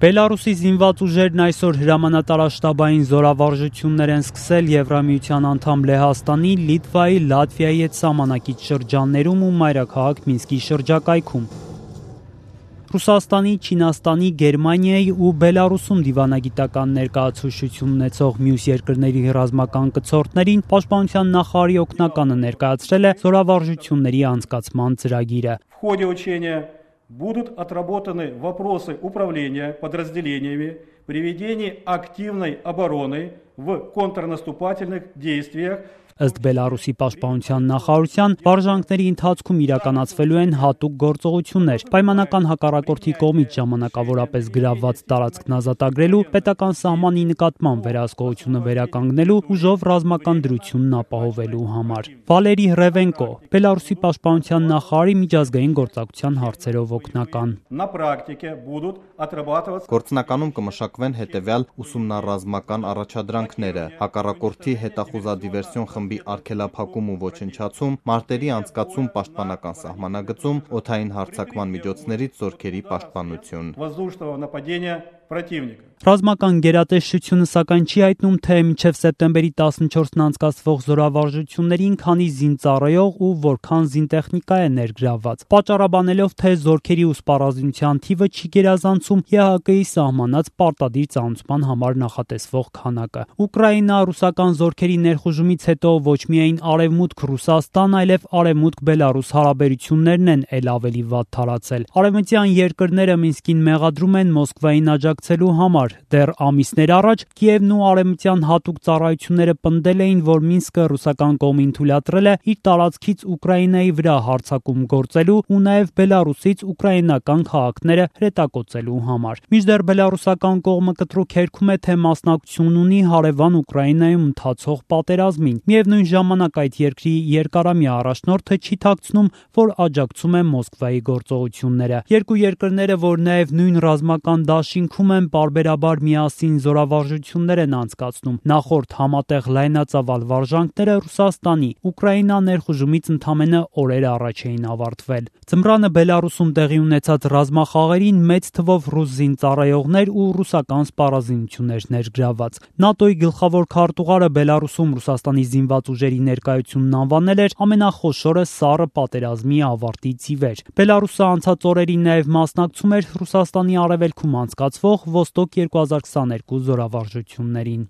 Բելարուսի զինված ուժերն այսօր հրամանատարաշտաբային զորավարժություններ են սկսել Եվրամիության անդամ Լեհաստանի, Լիտվայի, Լատվիայի հետ սահմանակից շրջաններում ու մայրաքաղաք Մինսկի շրջակայքում։ Ռուսաստանի, Չինաստանի, Գերմանիայի ու Բելարուսում դիվանագիտական ներկայացուցիչություն ունեցող մյուս երկրների ռազմական կցորդներին պաշտպանության նախարարի օգնականը ներկայացրել է զորավարժությունների անցկացման ծրագիրը։ Будут отработаны вопросы управления подразделениями при ведении активной обороны в контрнаступательных действиях. Ըստ Բելարուսի պաշտպանության նախարարության, վարժանքների ընթացքում իրականացվելու են հատուկ գործողություններ, պայմանական հակառակորդի կողմից ժամանակավորապես գրավված տարածքն ազատագրելու, պետական սահմանի նկատմամբ վերահսկողությունը վերականգնելու, ուժով ռազմական դրությունն ապահովելու համար։ Վալերի Ռևենկո, Բելարուսի պաշտպանության նախարարի միջազգային գործակցության հարցերով օգնական։ Գործնականում կմշակվեն հետևյալ ուսումնառազմական առաջադրանքները՝ հակառակորդի հետախուզադիվերսիոն խմբի արգելափակում ու ոչնչացում, մարտերի անցկացում պաշտպանական սահմանագծում, օդային հարձակման միջոցներից զորքերի պաշտպանություն։ Ռազմական գերատեսչությունը սակայն չի հայտնում, թե մինչև սեպտեմբերի 14-ն անցկացվող զորավարժություններին քանի զինծառայող ու որքան զինտեխնիկա է ներգրավված, պատճառաբանելով, թե զորքերի ու սպառազինության թիվը չի գերազանցում ԵՀԿ-ի սահմանած պարտադիր ծանուցման համար նախատեսվող քանակը։ Ուկրաինա-ռուսական զորքերի ներխուժումից հետո ոչ միայն Արևմուտք-Ռուսաստան, այլև Արևմուտք-Բելարուս հարաբերություններն են ել ավելի վատ թարացել։ Արևմտյան երկրները Մինսկին մեղադրում են Մոսկվային աջակցելու համար։ Դեռ ամիսներ առաջ Կիևն ու արևմտյան հատուկ ծառայությունները պնդել էին, որ Մինսկը ռուսական կողմին թույլատրել է իր տարածքից Ուկրաինայի վրա հարձակում գործելու ու նաև Բելարուսից ուկրաինական քաղաքները հրետակոծելու համար։ Մինչդեռ բելարուսական կողմը կտրուկ հերքում է, թե մասնակցություն ունի հարևան Ուկրաինայում ընթացող պատերազմին։ Միևնույն ժամանակ այդ երկրի երկարամյա առաջնորդը չի թաքցնում, որ աջակցում է Մոսկվայի գործողությունները։ Երկու երկրները, որ նաև նույն ռազմական դաշինքում են, պարբերաբար միասին զորավարժություններ են անցկացնում։ Նախորդ համատեղ լայնածավալ վարժանքները Ռուսաստանի Ուկրաինա ներխուժումից ընդամենը օրեր առաջ էին ավարտվել։ Ձմռանը Բելարուսում տեղի ունեցած ռազմախաղերին մեծ թվով ռուս զինծառայողներ ու ռուսական սպառազինություններ ներգրավված։ ՆԱՏՕ-ի գլխավոր քարտուղարը Բելարուսում Ռուսաստանի զինված ուժերի ներկայությունն անվանել էր ամենախոշորը սառը պատերազմի ավարտից ի վեր։ Բելարուսը անցած օրերին նաև մասնակցում էր Ռուսաստանի արևելքում անցկացվող Ոստոկ 2022 զորավարժություններին։